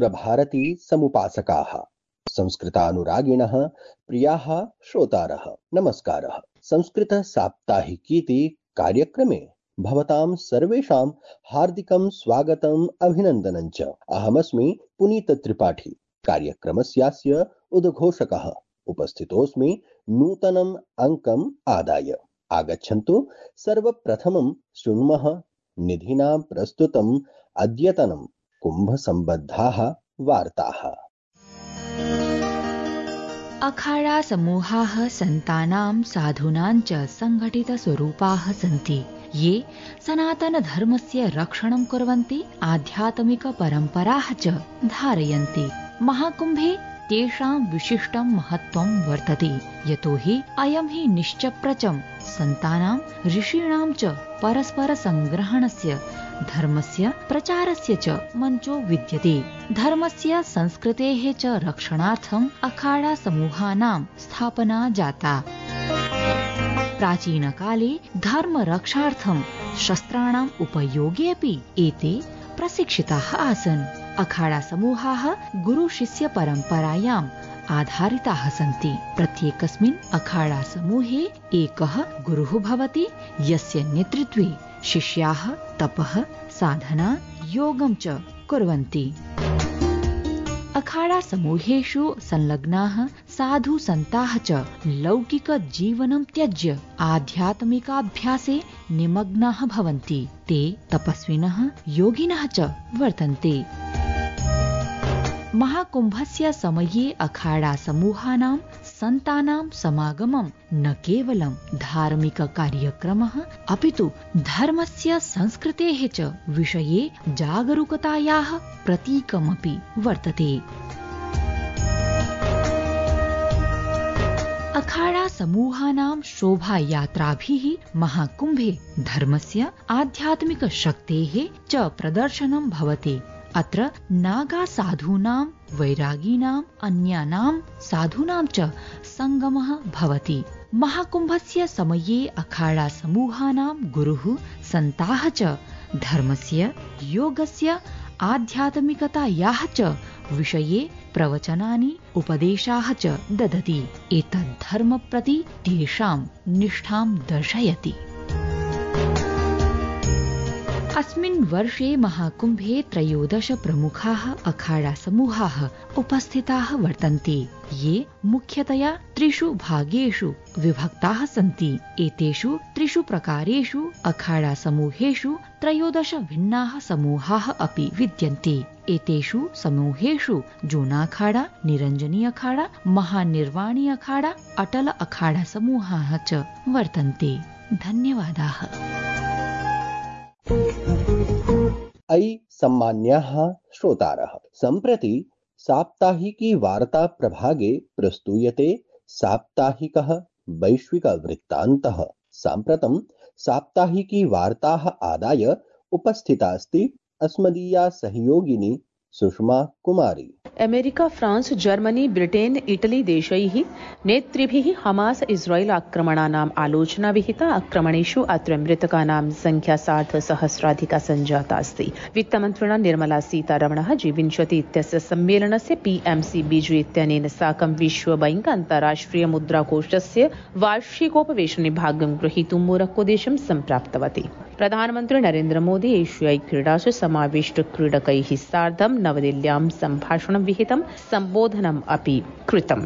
सुरभारती समुपासकाः, संस्कृतानुरागिणः, प्रियाः श्रोतारः, नमस्कारः। संस्कृत साप्ताहिकीति कार्यक्रमे भवतां सर्वेषां हार्दिकं स्वागतम् अभिनन्दनं च। अहमस्मि पुनीत त्रिपाठी, कार्यक्रमस्यास्य उद्घोषकः। उपस्थितोऽस्मि नूतनम् अङ्कम् आदाय। आगच्छन्तु सर्वप्रथमं शृण्मः निधिना प्रस्तुतम् अद्यतनं कुम्भसम्बद्धाः वार्ताः। अखाड़ा समूहाः सन्तानां साधूनां च संघटितस्वरूपाः सन्ति, ये सनातनधर्मस्य रक्षणं कुर्वन्ति, आध्यात्मिकपरम्पराः च धारयन्ति। महाकुम्भे तेषां विशिष्टं महत्त्वं वर्तते, यतो हि अयं हि निश्चप्रचं सन्तानां ऋषीणां च परस्परसंग्रहणस्य, धर्मस्य प्रचारस्य च मञ्चो विद्यते। धर्मस्य संस्कृतेः च रक्षणार्थम् अखाड़ा समूहानां स्थापना जाता। प्राचीनकाले धर्मरक्षार्थं शस्त्राणाम् उपयोगे अपि एते प्रशिक्षिताः आसन्। अखाड़ा समूहाः गुरुशिष्य परम्परायाम् आधारिताः सन्ति। प्रत्येकस्मिन् अखाड़ा समूहे एकः गुरुः भवति, यस्य नेतृत्वे शिष्याः तपः, साधना, योगं च कुर्वन्ति। अखाड़ा समूहेषु संलग्नाः साधु सन्ताः च लौकिकजीवनं त्यज्य आध्यात्मिकाभ्यासे निमग्नाः भवन्ति। ते तपस्विनः, योगिनः च वर्तन्ते। महाकुम्भस्य समये अखाड़ा समूहानां सन्तानां समागमं न केवलं धार्मिककार्यक्रमः, अपितु धर्मस्य संस्कृतेः च विषये जागरूकतायाः प्रतीकमपि वर्तते। अखाड़ा समूहानां शोभायात्राभिः महाकुम्भे धर्मस्य, आध्यात्मिकशक्तेः च प्रदर्शनं भवति। अत्र नागा साधूनां, वैरागिणाम्, अन्यानां साधूनां च संगमः भवति। महाकुम्भस्य समये अखाड़ा समूहानां गुरुः, सन्ताः च धर्मस्य, योगस्य, आध्यात्मिकतायाः च विषये प्रवचनानि, उपदेशाः च ददति। एतद् धर्म प्रति तेषां निष्ठां दर्शयति। अस्मिन् वर्षे महाकुम्भे 13 प्रमुखाः अखाड़ा समूहाः उपस्थिताः वर्तन्ते, ये मुख्यतया 3 भागेषु विभक्ताः सन्ति। एतेषु 3 प्रकारेषु अखाड़ा समूहेषु 13 भिन्नाः समूहाः अपि विद्यन्ते। एतेषु समूहेषु जूनाखाड़ा, निरञ्जनी अखाड़ा, महानिर्वाणी अखाड़ा, अटल अखाड़ा समूहाः च वर्तन्ते। धन्यवादाः। अयि सम्मान्याः श्रोतारः, सम्प्रति साप्ताहिकी वार्ता प्रभागे प्रस्तूयते साप्ताहिकः वैश्विकवृत्तान्तः। साम्प्रतं साप्ताहिकी वार्ताः आदाय उपस्थिता अस्ति अस्मदीया सहयोगिनी Sushma Kumari. America, France, Germany, Britain, Italy देशैः नेतृभिः हमास इस्राएल आक्रमणानाम् आलोचना विहिता। आक्रमणेषु अत्र मृतकानां संख्या 60,000 सञ्जाता अस्ति। वित्तमन्त्रिणा निर्मला सीतारमणः G20 इत्यस्य सम्मेलनस्य PMC बीजू इत्यनेन साकं विश्वबैंक अन्ताराष्ट्रिय मुद्राकोषस्य वार्षिकोपवेशने भागं ग्रहीतुं मोरक्कोदेशं सम्प्राप्तवती। प्रधानमन्त्री नरेन्द्र मोदी एशियाई क्रीडासु समाविष्टक्रीडकैः सार्धं नवदिल्ल्यां सम्भाषणं विहितं, सम्बोधनम् अपि कृतम्।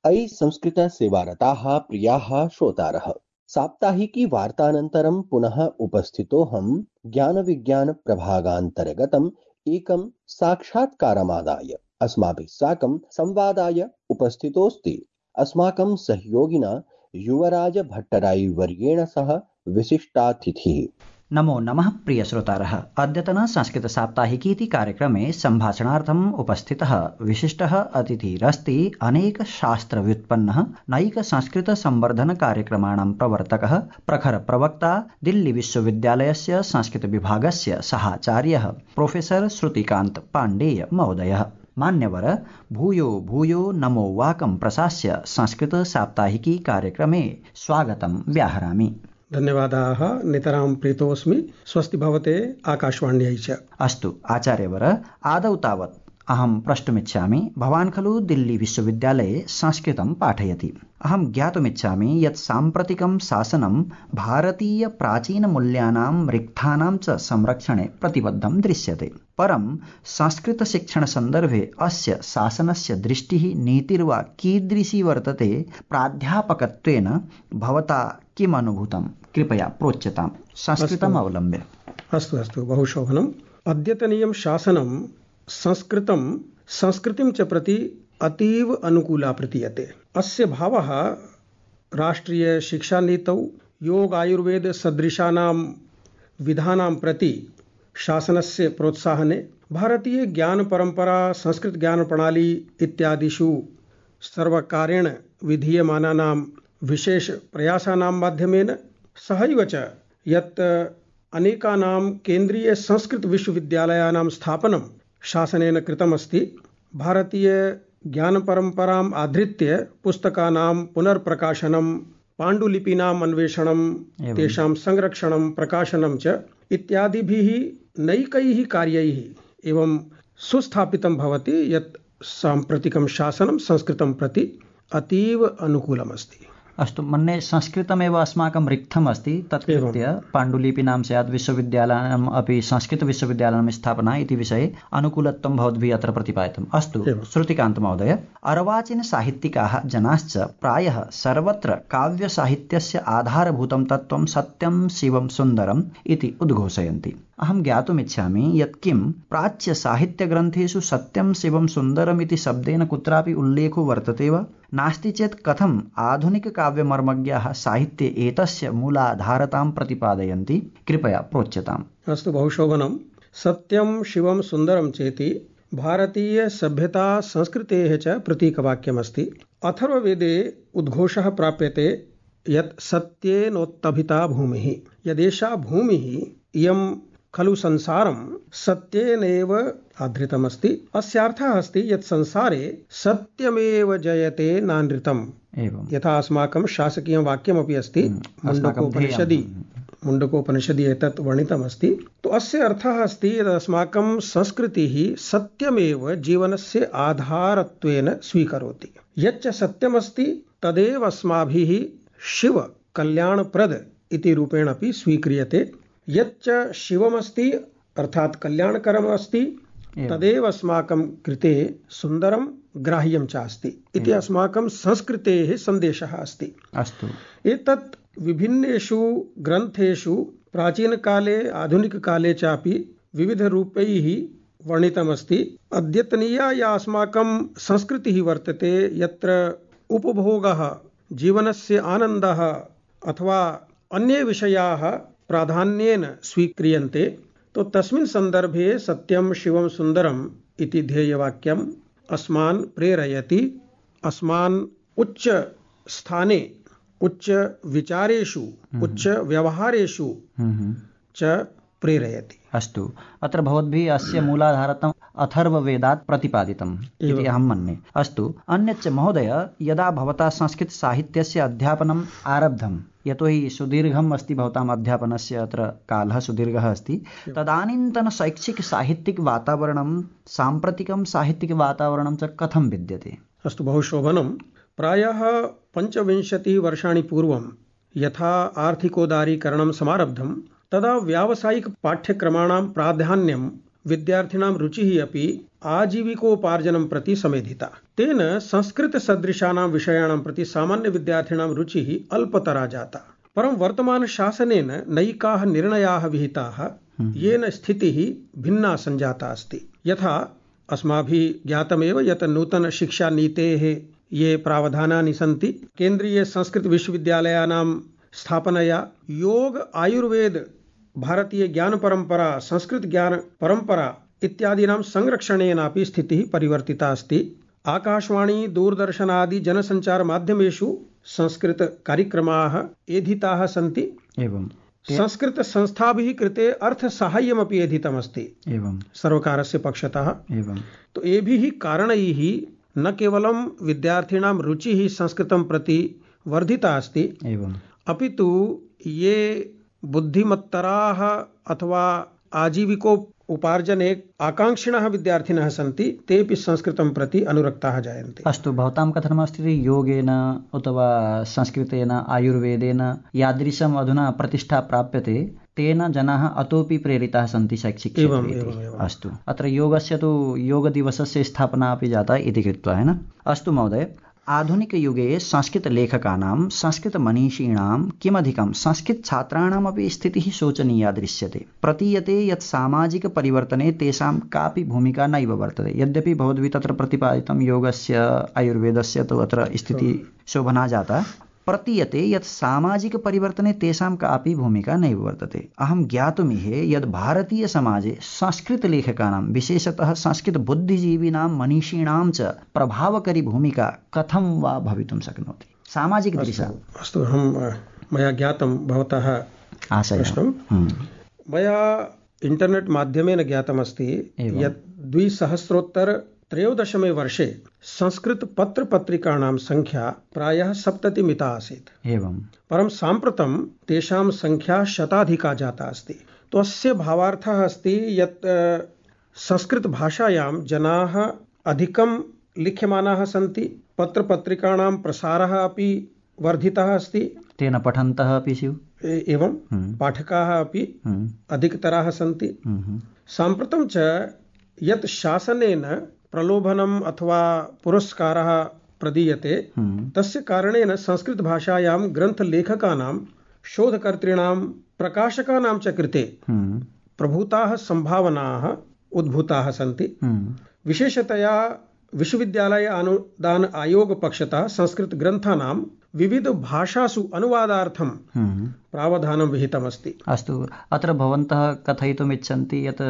अयि संस्कृत सेवारताः प्रियाः श्रोतारः, साप्ताहिकी वार्तानन्तरं पुनः उपस्थितोऽहं ज्ञानविज्ञान प्रभागान्तर्गतम् एकं साक्षात्कारमादाय। अस्माभिः साकं संवादाय उपस्थितोऽस्ति अस्माकं सहयोगिना युवराज भट्टराई वर्येण सह विशिष्टातिथिः। नमो नमः प्रिय श्रोतारः। अद्यतन संस्कृत साप्ताहिकीति कार्यक्रमे सम्भाषणार्थम् उपस्थितः विशिष्टः अतिथिरस्ति अनेक शास्त्र व्युत्पन्नः नैक संस्कृत संवर्धन कार्यक्रमाणां प्रवर्तकः, प्रखर प्रवक्ता, दिल्ली विश्वविद्यालयस्य संस्कृत विभागस्य सहाचार्यः प्रोफेसर श्रुतिकान्त पाण्डेय महोदयः। मान्यवर, भूयो भूयो नमो वाकं प्रशास्य संस्कृत साप्ताहिकी कार्यक्रमे स्वागतं व्याहरामि। धन्यवादाः। नितरां प्रीतोऽस्मि। स्वस्ति भवते आकाशवाण्यै च। अस्तु आचार्यवर, आदौ तावत् अहं प्रष्टुमिच्छामि, भवान् खलु दिल्ली विश्वविद्यालये संस्कृतं पाठयति। अहं ज्ञातुमिच्छामि यत् साम्प्रतिकं शासनं भारतीय प्राचीनमूल्यानां रिक्थानां च संरक्षणे प्रतिबद्धं दृश्यते। परं संस्कृतशिक्षणसन्दर्भे अस्य शासनस्य दृष्टिः नीतिर्वा कीदृशी वर्तते? प्राध्यापकत्वेन भवता किम् अनुभूतं? कृपया प्रोच्यतां संस्कृतम् अवलम्ब्य। अस्तु बहु शोभनम्। अद्यतनीयं शासनं संस्कृतिं च प्रति अतीव अनुकूला प्रतीयते। अस्य भावः राष्ट्रिय शिक्षानीतौ योग आयुर्वेद सदृशानां विधानां प्रति शासनस्य प्रोत्साहने, भारतीय ज्ञान परंपरा, संस्कृत ज्ञान प्रणाली इत्यादिषु सर्वकारेण विधीयमानानां विशेष प्रयासानां माध्यमेन, सहैव च यत् अनेकानां केन्द्रीय संस्कृत विश्वविद्यालयानां स्थापनं शासनेन कृतमस्ति। भारतीय ज्ञान परंपराम् आधृत्य पुस्तकानां पुनर्प्रकाशनं, पाण्डुलिपीनाम् अन्वेषणं, तेषां संरक्षणं, प्रकाशनं च इत्यादिभिः नैकैः कार्यैः एवं सुस्थापितं भवति यत् साम्प्रतिकं शासनं संस्कृतं प्रति अतीव अनुकूलमस्ति। अस्तु, मन्ये संस्कृतमेव अस्माकं रिक्थम् अस्ति, तत्कृत्य पाण्डुलिपीनां स्यात् विश्वविद्यालयानाम् अपि संस्कृतविश्वविद्यालयानां स्थापना इति विषये अनुकूलत्वं भवद्भिः अत्र प्रतिपादितम्। अस्तु श्रुतिकान्त महोदय, अर्वाचीनसाहित्यिकाः जनाश्च प्रायः सर्वत्र काव्यसाहित्यस्य आधारभूतं तत्त्वं सत्यं शिवं सुन्दरम् इति उद्घोषयन्ति। अहं ज्ञातुमिच्छामि यत् किं प्राच्यसाहित्यग्रन्थेषु सत्यं शिवं सुन्दरम् इति शब्देन कुत्रापि उल्लेखो वर्तते वा? नास्ति चेत् कथम् आधुनिककाव्यमर्मज्ञाः साहित्ये एतस्य मूलाधारतां प्रतिपादयन्ति? कृपया प्रोच्यताम्। अस्तु बहु शोभनम्। सत्यं शिवं सुन्दरं चेति भारतीय सभ्यता संस्कृतेः च प्रतीकवाक्यमस्ति। अथर्ववेदे उद्घोषः प्राप्यते यत् सत्येनोत्तभिता भूमिः। यदेषा भूमिः इयं खलु संसारं सत्येनैव आधृतमस्ति। अस्यार्थः अस्ति यत् संसारे सत्यमेव जयते नानृतम्। यथा अस्माकं शासकीयं वाक्यमपि अस्ति, मुण्डकोपनिषदि एतत् वर्णितमस्ति। तो अस्य अर्थः अस्ति यत् अस्माकं संस्कृतिः सत्यमेव जीवनस्य आधारत्वेन स्वीकरोति। यच्च सत्यमस्ति तदेव अस्माभिः शिव कल्याणप्रद इति रूपेण अपि स्वीक्रियते। यच्च शिवमस्ति अर्थात् कल्याणकरम् अस्ति तदेव अस्माकं कृते सुन्दरं ग्राह्यं च अस्ति इति अस्माकं संस्कृतेः सन्देशः अस्ति। अस्तु, एतत् विभिन्नेषु ग्रन्थेषु प्राचीनकाले आधुनिककाले चापि विविधरूपैः वर्णितमस्ति। अद्यतनीया या अस्माकं संस्कृतिः वर्तते, यत्र उपभोगः, जीवनस्य आनन्दः अथवा अन्ये विषयाः प्राधान्येन स्वीक्रियन्ते, तो तस्मिन् सन्दर्भे सत्यं शिवं सुन्दरम् इति ध्येयवाक्यम् अस्मान् प्रेरयति, अस्मान् उच्च स्थाने, उच्च विचारेषु, उच्च व्यवहारेषु च प्रेरयति। अस्तु, अत्र भवद्भिः अस्य मूलाधारतम् अथर्ववेदात् प्रतिपादितम् इति अहं मन्ये। अस्तु, अन्यच्च महोदय, यदा भवता संस्कृतसाहित्यस्य अध्यापनम् आरब्धं, यतोहि सुदीर्घम् अस्ति भवताम् अध्यापनस्य, अत्र कालः सुदीर्घः अस्ति, तदानीन्तन शैक्षिक-साहित्यिकवातावरणं, साम्प्रतिकं साहित्यिकवातावरणं च कथं विद्यते? अस्तु, बहु शोभनं। प्रायः 25 वर्षाणि पूर्वं यथा आर्थिकोदारीकरणं समारब्धं, तदा व्यावसायिक पाठ्यक्रमाणां प्राधान्यं, विद्यार्थिनां रुचिः अपि आजीविकोपार्जनं प्रति समेधिता। तेन संस्कृतसदृशानां विषयाणां प्रति सामान्यविद्यार्थिनां रुचिः अल्पतरा जाता। परं वर्तमानशासनेन नैकाः निर्णयाः विहिताः, येन स्थितिः भिन्ना सञ्जाता अस्ति। यथा अस्माभिः ज्ञातमेव यत् नूतनशिक्षानीतेः ये प्रावधानानि सन्ति, केन्द्रीय संस्कृत विश्वविद्यालयानां स्थापनया योग आयुर्वेद भारतीय ज्ञान परंपरा, संस्कृत ज्ञान परंपरा इत्यादीनां संरक्षणेनापि स्थितिः परिवर्तिता अस्ति। आकाशवाणी, दूरदर्शन आदि जनसंचार माध्यमेषु संस्कृत कार्यक्रमाः एधिताः सन्ति। एवं संस्कृत संस्थाभिः कृते अर्थसाहाय्यमपि एधितमस्ति सर्वकारस्य पक्षतः। एवं तो एभिः कारणैः न केवलं विद्यार्थिनां रुचिः संस्कृतं प्रति वर्धिता अस्ति, एवं अपितु ये बुद्धिमत्तराः अथवा आजीविकोपार्जने आकाङ्क्षिणः विद्यार्थिनः सन्ति तेऽपि संस्कृतं प्रति अनुरक्ताः जायन्ते। अस्तु, भवतां कथनमस्ति योगेन अथवा संस्कृतेन आयुर्वेदेन यादृशम् अधुना प्रतिष्ठा प्राप्यते तेन जनाः अतोपि प्रेरिताः सन्ति शैक्षिकक्षेत्रे। अस्तु, अत्र योगस्य तु योगदिवसस्य स्थापना अपि जाता इति कृत्वा है न। अस्तु महोदय, आधुनिकयुगे संस्कृतलेखकानां संस्कृतमनीषिणां किमधिकं संस्कृतछात्राणामपि स्थितिः शोचनीया दृश्यते। प्रतीयते यत् सामाजिकपरिवर्तने तेषां कापि भूमिका नैव वर्तते। यद्यपि भवद्भिः तत्र प्रतिपादितं योगस्य आयुर्वेदस्य तु अत्र स्थितिः शोभना जाता, प्रतीयते यत् सामाजिकपरिवर्तने तेषां कापि भूमिका नैव वर्तते। अहं ज्ञातुमिहे यत् भारतीयसमाजे संस्कृतलेखकानां विशेषतः संस्कृतबुद्धिजीविनां मनीषिणां च प्रभावकरी भूमिका कथं वा भवितुं शक्नोति सामाजिकदृशा। अस्तु, मया ज्ञातं भवतः प्रश्नं। मया इण्टर्नेट् माध्यमेन ज्ञातमस्ति यत् 2013 वर्षे संस्कृतपत्रपत्रिकाणां संख्या प्रायः 70 मिता आसीत्। एवं परं साम्प्रतं तेषां संख्या शताधिका जाता अस्ति। तो अस्य भावार्थः अस्ति यत् संस्कृतभाषायां जनाः अधिकं लिख्यमानाः सन्ति, पत्रपत्रिकाणां प्रसारः अपि वर्धितः अस्ति, तेन पठन्तः अपि स्युः, एवं पाठकाः अपि अधिकतराः सन्ति। साम्प्रतं च यत् शासनेन प्रलोभनम् अथवा पुरस्कारः प्रदीयते तस्य कारणेन संस्कृतभाषायां ग्रन्थलेखकानां, शोधकर्तॄणां, प्रकाशकानां च कृते प्रभूताः सम्भावनाः उद्भूताः सन्ति। विशेषतया विश्वविद्यालय अनुदान आयोग पक्षतः संस्कृतग्रन्थानां विविधभाषासु अनुवादार्थं प्रावधानं विहितमस्ति। अस्तु, अत्र भवन्तः कथयितुम् इच्छन्ति यत्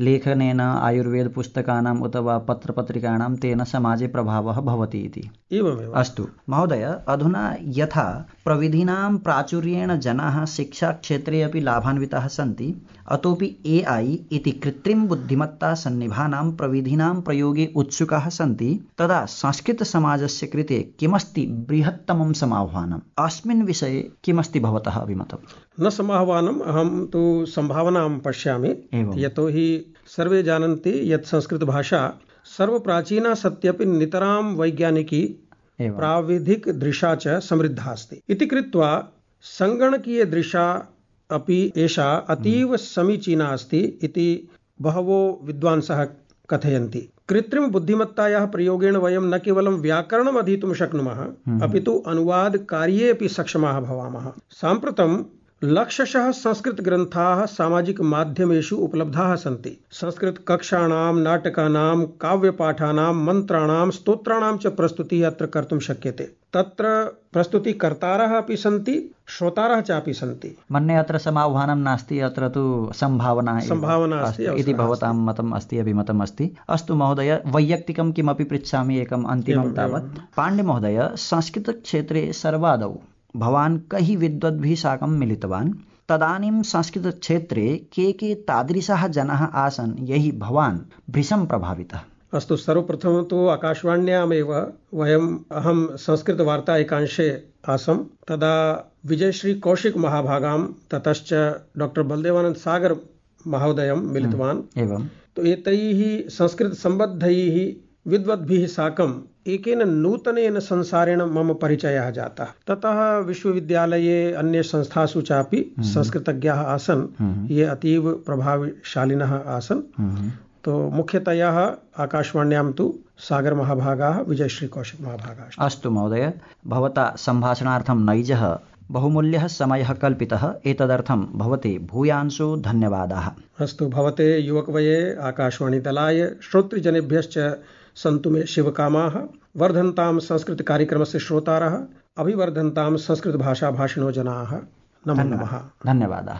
लेखनेन आयुर्वेदपुस्तकानाम् अथवा पत्रपत्रिकाणां तेन समाजे प्रभावः भवति इति। एवमेव। अस्तु महोदय, अधुना यथा प्रविधीनां प्राचुर्येण जनाः शिक्षाक्षेत्रे अपि लाभान्विताः सन्ति, अतोपि AI इति कृत्रिमबुद्धिमत्ता सन्निभानां प्रविधीनां प्रयोगे उत्सुकाः सन्ति, तदा संस्कृतसमाजस्य कृते किमस्ति बृहत्तमं समाह्वानम्? अस्मिन् विषये किमस्ति भवतः अभिमतम्? न समाह्वानम्, अहं तु सम्भावनां पश्यामि। यतोहि सर्वे जानन्ति यत् संस्कृतभाषा सर्वप्राचीना सत्यपि नितरां वैज्ञानिकी प्राविधिकदृशा च समृद्धा अस्ति इति कृत्वा सङ्गणकीयदृशा अपि एषा अतीव समीचीना अस्ति इति बहवो विद्वांसः कथयन्ति। कृत्रिमबुद्धिमत्तायाः प्रयोगेण वयं न केवलं व्याकरणम् अधीतुं शक्नुमः, अपि तु अनुवादकार्ये अपि सक्षमाः भवामः। साम्प्रतं लक्षशः संस्कृतग्रन्थाः सामाजिकमाध्यमेषु उपलब्धाः सन्ति। संस्कृतकक्षाणां, नाटकानां, काव्यपाठानां, मन्त्राणां, स्तोत्राणां च प्रस्तुतिः अत्र कर्तुं शक्यते। तत्र प्रस्तुतिकर्तारः अपि सन्ति, श्रोतारः चापि सन्ति। मन्ये अत्र समाह्वानं नास्ति, अत्र तु सम्भावना अस्ति इति भवतां मतम् अस्ति, अभिमतम् अस्ति। अस्तु महोदय, वैयक्तिकं किमपि पृच्छामि एकम् अन्तिमं तावत्। पाण्डे महोदय, संस्कृतक्षेत्रे सर्वादौ भवान् कैः विद्वद्भिः साकं मिलितवान्? तदानीं संस्कृतक्षेत्रे के तादृशाः जनाः आसन् यैः भवान् भृशं प्रभावितः? अस्तु, सर्वप्रथमं तु आकाशवाण्यामेव अहं संस्कृतवार्ता एकांशे आसम्। तदा विजयश्री कौशिक महाभागां ततश्च डॉक्टर बलदेवानंद सागर महोदयं मिलितवान्। एवं तो एतैः संस्कृतसम्बद्धैः विद्वद्भिः साकम् एकेन नूतनेन संसारेण मम परिचयः जातः। ततः विश्वविद्यालये अन्य संस्थासु चापि संस्कृतज्ञाः आसन्, ये अतीव प्रभावशालिनः आसन्। तो मुख्यतया आकाशवाण्यां तु सागर महाभागाः, विजयश्री कौशिक महाभागाः। अस्तु महोदय, भवता सम्भाषणार्थं नैजः बहुमूल्यः समयः कल्पितः, एतदर्थं भवते भूयांशो धन्यवादाः। अस्तु, भवते युवकवये आकाशवाणीदलाय श्रोतृजनेभ्यश्च सन्तु मे शिवकामाः। वर्धन्तां संस्कृतकार्यक्रमस्य श्रोतारः, अभिवर्धन्तां संस्कृतभाषाभाषिणो जनाः। नमो नमः। धन्यवादाः।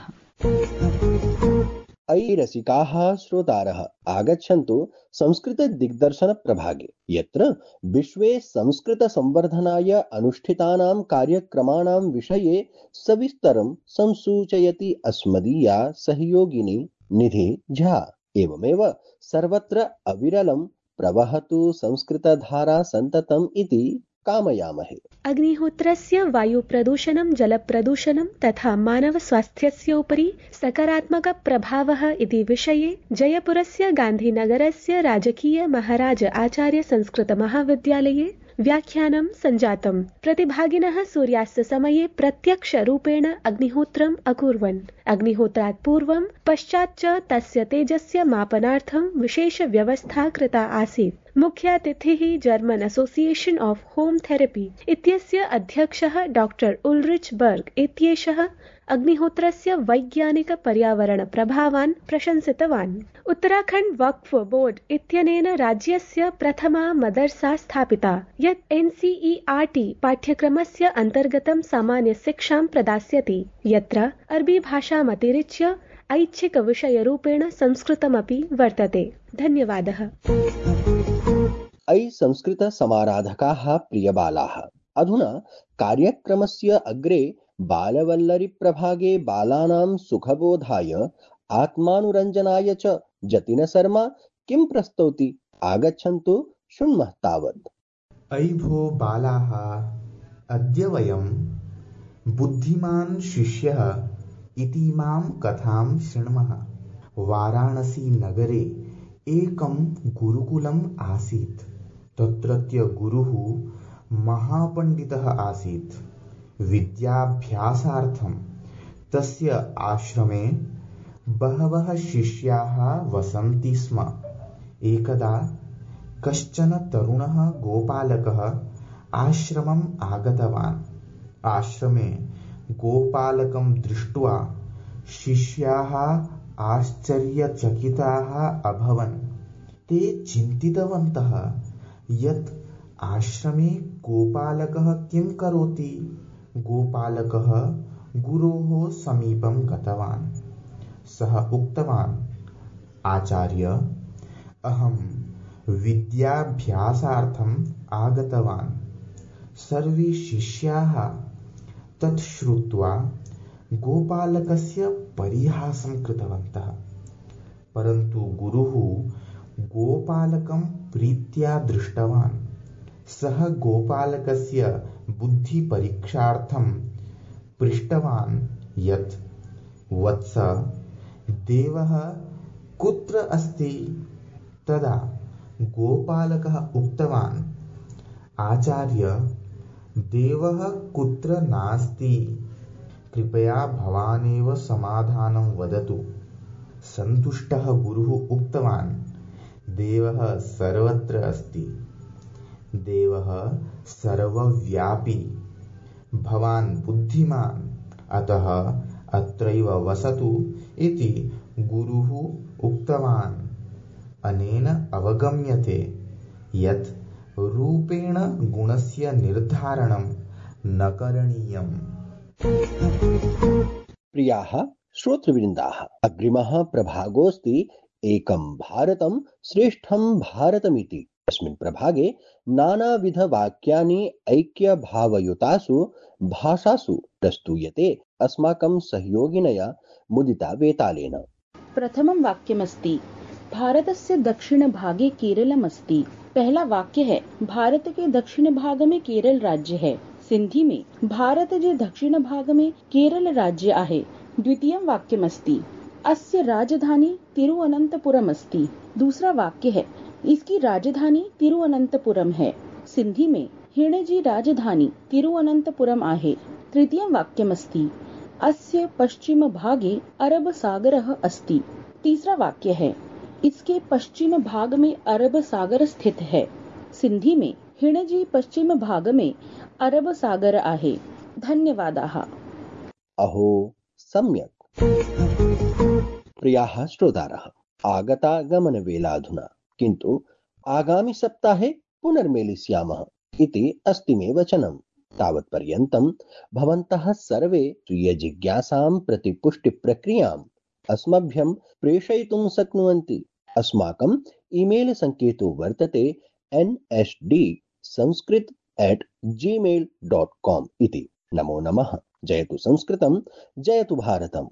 अयि रसिकाः श्रोतारः, आगच्छन्तु संस्कृत दिग्दर्शन प्रभागे, यत्र विश्वे संस्कृत संवर्धनाय अनुष्ठितानां कार्यक्रमाणां विषये सविस्तरं संसूचयति अस्मदीया सहयोगिनी निधि झा। एवमेव सर्वत्र अविरलं प्रवहतु संस्कृतधारा सन्ततम् इति कामयामहे। अग्निहोत्रस्य वायुप्रदूषणं जलप्रदूषणं तथा मानवस्वास्थ्यस्य उपरि सकारात्मकप्रभावः इति विषये जयपुरस्य गान्धीनगरस्य राजकीय महाराज आचार्य संस्कृतमहाविद्यालये व्याख्यानं सञ्जातम्। प्रतिभागिनः सूर्यास्तसमये प्रत्यक्षरूपेण अग्निहोत्रम् अकुर्वन्। अग्निहोत्रात् पूर्वं पश्चात् च तस्य तेजस्य मापनार्थं विशेषव्यवस्था कृता आसीत्। मुख्यातिथिः German association of home therapy इत्यस्य अध्यक्षः डॉक्टर उल्रिच बर्ग इत्येषः अग्निहोत्रस्य वैज्ञानिक पर्यावरण प्रभावान् प्रशंसितवान्। उत्तराखण्ड वक्फ बोर्ड इत्यनेन राज्यस्य प्रथमा मदरसा स्थापिता यत् NCERT पाठ्यक्रमस्य अन्तर्गतं सामान्य शिक्षां प्रदास्यति, यत्र अरबी भाषामतिरिच्य ऐच्छिकविषयरूपेण संस्कृतमपि वर्तते। धन्यवादः। अयि संस्कृतसमाराधकाः प्रियबालाः, अधुना कार्यक्रमस्य अग्रे बालवल्लरी प्रभागे बालानां सुखबोधाय आत्मानुरञ्जनाय च जतिन शर्मा किं प्रस्तौति, आगच्छन्तु शृण्मः तावत्। अयि भो बालाः, अद्य वयं बुद्धिमान् शिष्यः इतीमां कथां शृण्मः। वाराणसी नगरे एकं गुरुकुलम् आसीत्। तत्रत्य गुरुः महापण्डितः आसीत्। विद्याभ्यासार्थं तस्य आश्रमे बहवः शिष्याः वसन्ति स्म। एकदा कश्चन तरुणः गोपालकः आश्रमम् आगतवान्। आश्रमे गोपालकं दृष्ट्वा शिष्याः आश्चर्यचकिताः अभवन्। ते चिन्तितवन्तः यत् आश्रमे गोपालकः किं करोति। गोपालकः गुरोः समीपं गतवान्। सः उक्तवान्, आचार्य, अहं विद्याभ्यासार्थम् आगतवान्। सर्वे शिष्याः तत् श्रुत्वा गोपालकस्य परिहासं कृतवन्तः, परन्तु गुरुः गोपालकं प्रीत्या दृष्टवान्। सः गोपालकस्य बुद्धिपरीक्षार्थं पृष्टवान् यत् वत्स, देवः कुत्र अस्ति? तदा गोपालकः उक्तवान्, आचार्य, देवः कुत्र नास्ति, कृपया भवानेव समाधानं वदतु। सन्तुष्टः गुरुः उक्तवान्, देवः सर्वत्र अस्ति। देवः सर्वव्यापी। भवान् बुद्धिमान्, अतः अत्रैव वसतु इति गुरुः उक्तवान्। अनेन अवगम्यते यत् रूपेण गुणस्य निर्धारणं न करणीयम्। प्रियाः श्रोतृवृन्दाः, अग्रिमः प्रभागोऽस्ति एकं भारतं श्रेष्ठं भारतमिति। अस्मिन् प्रभागे नानाविधवाक्यानि ऐक्यभावयुतासु भाषासु प्रस्तूयते अस्माकं सहयोगिनया मुदिता वेतालेन। प्रथमं वाक्यमस्ति, भारतस्य दक्षिणभागे केरलमस्ति। पहला वाक्य है, भारत के दक्षिण भाग में केरल राज्य है। सिंधी में भारत जे दक्षिण भाग में केरल राज्य आहे। द्वितीयं वाक्यमस्ति, अस्य राजधानी तिरुवनंतपुरम अस्ति। दूसरा वाक्य है, इसकी राजधानी तिरुवनंतपुरम है। सिंधी में हिण जी राजधानी तिरुवनंतपुरम आहे। तृतीयं वाक्यमस्ति, अस्य पश्चिम भागे अरब सागरः अस्ति। तीसरा वाक्य है, इसके पश्चिम भाग में अरब सागर स्थित है। सिंधी में हिण जी पश्चिम भाग में अरब सागर आहे। धन्यवादाः। अहो सम्यक्। प्रियाः श्रोतारः, आगतागमनवेलाधुना, किन्तु आगामि सप्ताहे पुनर्मेलिष्यामः इति अस्ति मे वचनं। तावत्पर्यन्तं भवन्तः सर्वे स्वीयजिज्ञासां प्रतिपुष्टिप्रक्रियाम् अस्मभ्यं प्रेषयितुं शक्नुवन्ति। अस्माकं ईमेल सङ्केतो वर्तते nsdsanskrit@gmail.com इति। नमो नमः। जयतु संस्कृतं, जयतु भारतम्।